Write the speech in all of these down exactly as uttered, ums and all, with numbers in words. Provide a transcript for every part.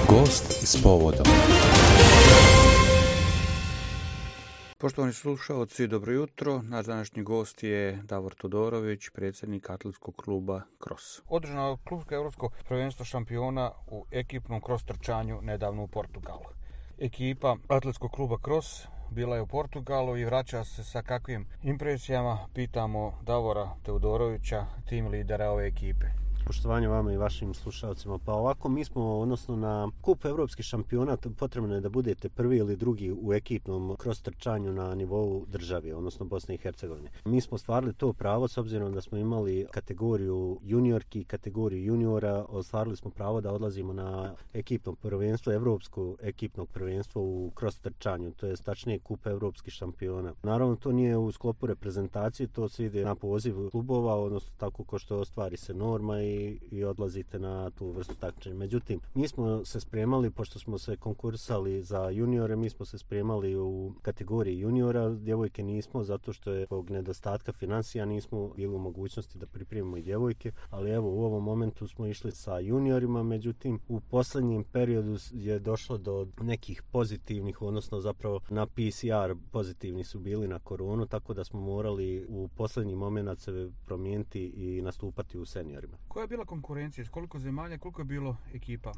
Gost s povodom. Poštovani slušalci, dobro jutro. Naš današnji gost je Davor Todorović, predsjednik atletskog kluba Cross. Održano je klubsko europsko prvenstvo šampiona u ekipnom cross trčanju nedavno u Portugalu. Ekipa atletskog kluba Cross bila je u Portugalu i vraća se sa kakvim impresijama, pitamo Davora Todorovića, tim lidera ove ekipe. Poštovanje vama i vašim slušalcima. Pa ovako, mi smo, odnosno na kup evropskih šampiona, potrebno je da budete prvi ili drugi u ekipnom cross trčanju na nivou države, odnosno Bosne i Hercegovine. Mi smo stvarili to pravo s obzirom da smo imali kategoriju juniorki, kategoriju juniora, ostvarili smo pravo da odlazimo na ekipno prvenstvo, evropsko ekipno prvenstvo u cross trčanju, to je tačnije kup evropskih šampiona. Naravno, to nije u sklopu reprezentacije, to se ide na poziv klubova, odnosno tako ko što ostvari se norma i i odlazite na tu vrstu takmičenja. Međutim, mi smo se spremali, pošto smo se konkursali za juniore, mi smo se spremali u kategoriji juniora, djevojke nismo, zato što je zbog nedostatka financija nismo bili u mogućnosti da pripremimo i djevojke, ali evo u ovom momentu smo išli sa juniorima, međutim u posljednjem periodu je došlo do nekih pozitivnih, odnosno zapravo na P C R pozitivni su bili na koronu, tako da smo morali u posljednji moment se promijeniti i nastupati u seniorima. Koja je bila konkurencija? S koliko zemalja, koliko je bilo ekipa?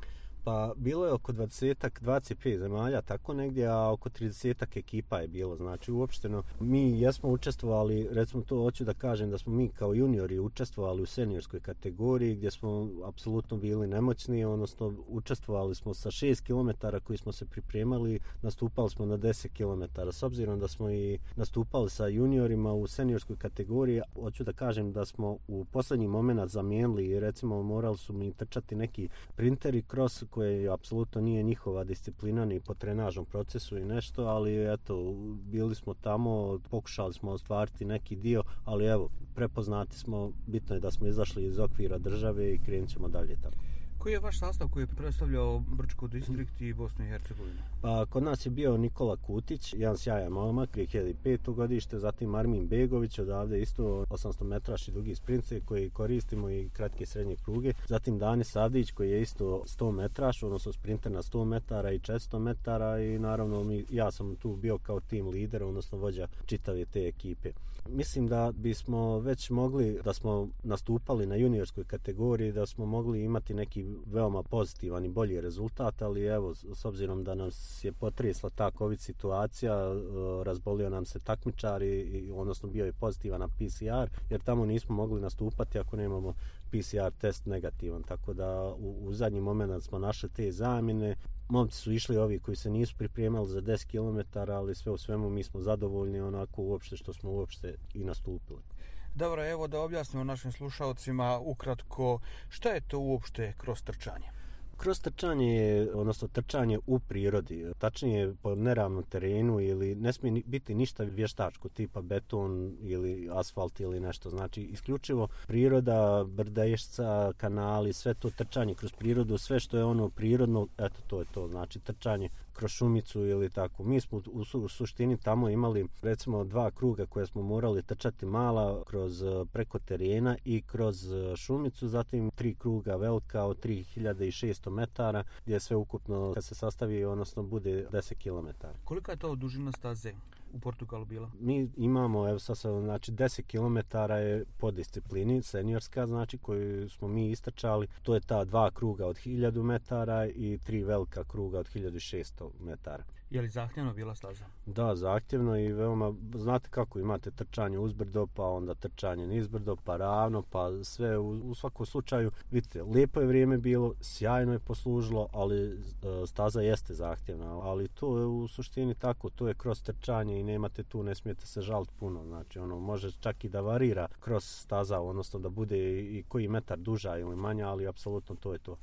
Pa bilo je oko dvadeset, dvadeset pet zemalja, tako negdje, a oko trideset ekipa je bilo. Znači uopšteno mi jesmo učestvovali, recimo to hoću da kažem da smo mi kao juniori učestvovali u seniorskoj kategoriji gdje smo apsolutno bili nemoćni, odnosno učestvovali smo sa šest kilometara koji smo se pripremali, nastupali smo na deset kilometara. S obzirom da smo i nastupali sa juniorima u seniorskoj kategoriji, hoću da kažem da smo u posljednji moment zamijenili i recimo morali su mi trčati neki printeri cross koje apsolutno nije njihova disciplina ni po trenažnom procesu i nešto, ali eto, bili smo tamo, pokušali smo ostvariti neki dio, ali evo, prepoznati smo, bitno je da smo izašli iz okvira države i krenut ćemo dalje tamo. Koji je vaš sastav koji je predstavljao Brčko distrikt i Bosnu i Hercegovinu? Pa, kod nas je bio Nikola Kutić, jedan sjajan momak, dvije hiljade peto godište, zatim Armin Begović, odavde isto osamsto metraš i dugi sprince koji koristimo i kratke srednje pruge. Zatim Dani Savdić koji je isto sto metraš, odnosno sprinter na sto metara i četiristo metara i naravno mi, ja sam tu bio kao tim lider, odnosno vođa čitave te ekipe. Mislim da bismo već mogli, da smo nastupali na juniorskoj kategoriji, da smo mogli imati neki veoma pozitivan i bolji rezultat, ali evo, s obzirom da nas je potresla ta COVID situacija, razbolio nam se takmičar i, odnosno bio je pozitivan na P C R, jer tamo nismo mogli nastupati ako nemamo P C R test negativan, tako da u, u zadnji moment smo našli te zamjene. Momci su išli ovi koji se nisu pripremali za deset kilometara, ali sve u svemu mi smo zadovoljni onako uopšte što smo uopšte i nastupili. Dobro, evo da objasnimo našim slušalcima ukratko šta je to uopšte cross trčanje. Cross trčanje je, odnosno trčanje u prirodi, tačnije po neravnom terenu ili ne smije biti ništa vještačko tipa beton ili asfalt ili nešto. Znači isključivo priroda, brdešca, kanali, sve to trčanje kroz prirodu, sve što je ono prirodno, eto to je to, znači trčanje kroz šumicu ili tako. Mi smo u, su, u suštini tamo imali recimo dva kruga koje smo morali trčati mala kroz preko terena i kroz šumicu, zatim tri kruga velika od tri hiljade šesto metara gdje sve ukupno kad se sastavi odnosno bude deset kilometara. Kolika je to dužina staze u Portugalu bila? Mi imamo, evo sad sam, znači deset kilometara je po disciplini seniorska, znači koju smo mi istrčali, to je ta dva kruga od hiljadu metara i tri velika kruga od hiljadu šesto metara. Je li zahtjevno bila staza? Da, zahtjevno i veoma, znate kako imate trčanje uzbrdo, pa onda trčanje nizbrdo, pa ravno, pa sve u, u svakom slučaju, vidite, lijepo je vrijeme bilo, sjajno je poslužilo, ali e, staza jeste zahtjevna, ali to je u suštini tako, to je kroz trčanje i nemate tu, ne smijete se žaliti puno, znači ono, može čak i da varira kroz staza, odnosno da bude i koji metar duža ili manja, ali apsolutno to je to.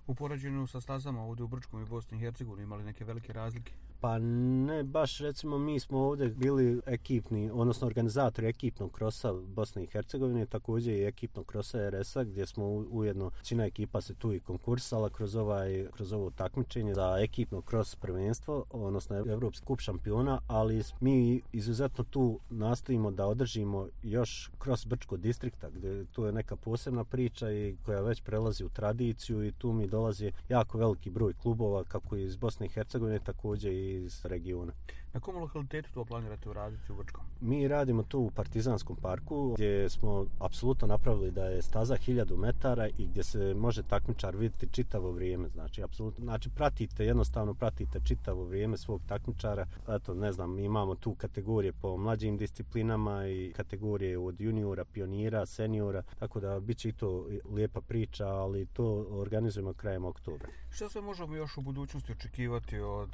U poređenju sa stazama ovdje u Brčkom i Bosni i Hercegovini imali neke velike razlike? Pa ne, baš recimo mi smo ovdje bili ekipni, odnosno organizatori ekipnog krosa Bosne i Hercegovine, također i ekipnog krosa er es-a, gdje smo ujedno, većina ekipa se tu i konkursala kroz, ovaj, kroz ovo takmičenje za ekipno kros prvenstvo, odnosno Evropski kup šampiona, ali mi izuzetno tu nastojimo da održimo još kros Brčko distrikta, gdje tu je neka posebna priča i koja već prelazi u tradiciju i tu mi dolazi jako veliki broj klubova, kako iz Bosne i Hercegovine, također i iz regiona. Na kom lokalitetu to planirate uraditi u Brčkom? Mi radimo tu u Partizanskom parku, gdje smo apsolutno napravili da je staza hiljadu metara i gdje se može takmičar vidjeti čitavo vrijeme. Znači, apsolutno, znači pratite, jednostavno pratite čitavo vrijeme svog takmičara. Eto, ne znam, imamo tu kategorije po mlađim disciplinama i kategorije od juniora, pionira, seniora, tako da bit će i to lijepa priča, ali to organizujemo krajem oktobra. Što sve možemo još u budućnosti očekivati od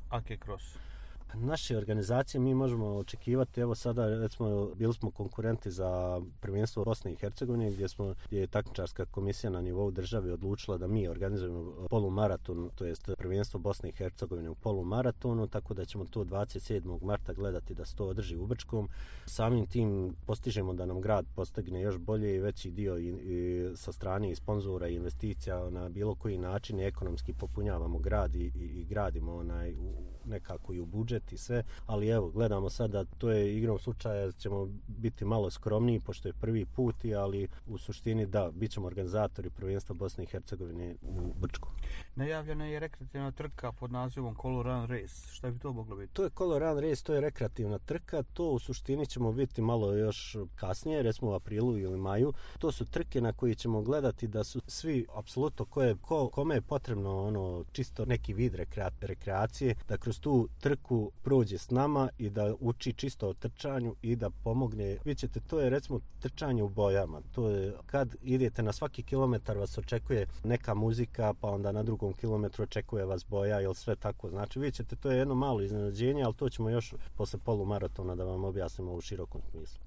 A K Cross? Naše organizacije mi možemo očekivati, evo sada recimo bili smo konkurenti za prvenstvo Bosne i Hercegovine, gdje smo gdje je takmičarska komisija na nivou države odlučila da mi organizujemo polumaraton, to jest prvenstvo Bosne i Hercegovine u polumaratonu, tako da ćemo to dvadeset sedmog marta gledati da se to održi u Brčkom. Samim tim postižemo da nam grad postigne još bolje i veći dio i, i sa strane i sponzora i investicija na bilo koji način ekonomski popunjavamo grad i, i, i gradimo onaj u, nekako i u budžet i sve, ali evo, gledamo sad da to je igrom slučaja, ćemo biti malo skromniji, pošto je prvi put, ali u suštini da, bit ćemo organizatori prvenstva Bosne i Hercegovine u Brčku. Najavljena je rekreativna trka pod nazivom Kolo Run Race. Šta bi to moglo biti? To je Kolo Run Race, to je rekreativna trka, to u suštini ćemo vidjeti malo još kasnije, recimo u aprilu ili maju. To su trke na koje ćemo gledati da su svi, apsolutno, ko je, ko, kome je potrebno ono čisto neki vid rekrea, rekreacije, da kroz tu trku prođe s nama i da uči čisto o trčanju i da pomogne. Vi ćete, to je recimo trčanje u bojama. To je kad idete na svaki kilometar vas očekuje neka muzika, pa onda na drugom kilometru očekuje vas boja ili sve tako. Znači vi ćete, to je jedno malo iznenađenje, ali to ćemo još posle polumaratona da vam objasnimo u širokom smislu.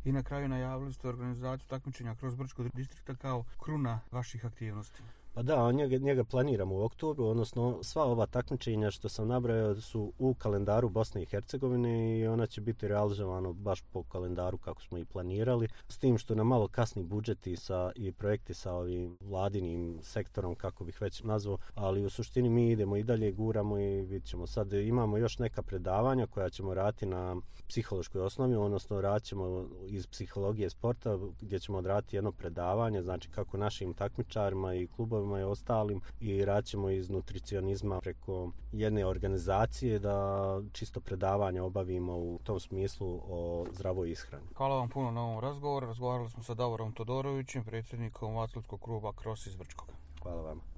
I na kraju najavili ste organizaciju takmičenja kroz Brčko distrikta kao kruna vaših aktivnosti. Pa da, njega, njega planiramo u oktobru, odnosno sva ova takmičenja što sam nabrojao su u kalendaru Bosne i Hercegovine i ona će biti realizovano baš po kalendaru kako smo i planirali, s tim što na malo kasni budžeti sa, i projekti sa ovim vladinim sektorom, kako bih već nazvao, ali u suštini mi idemo i dalje, guramo i vidjet ćemo. Sad imamo još neka predavanja koja ćemo raditi na psihološkoj osnovi, odnosno radit ćemo iz psihologije sporta gdje ćemo odraditi jedno predavanje, znači kako našim takmičarima i klubovima i ostalim i radimo iz nutricionizma preko jedne organizacije da čisto predavanje obavimo u tom smislu o zdravoj ishrani. Hvala vam puno na ovom razgovoru. Razgovarali smo sa Davorom Todorovićem, predsjednikom Atletskog kluba Cross iz Brčkoga. Hvala vam.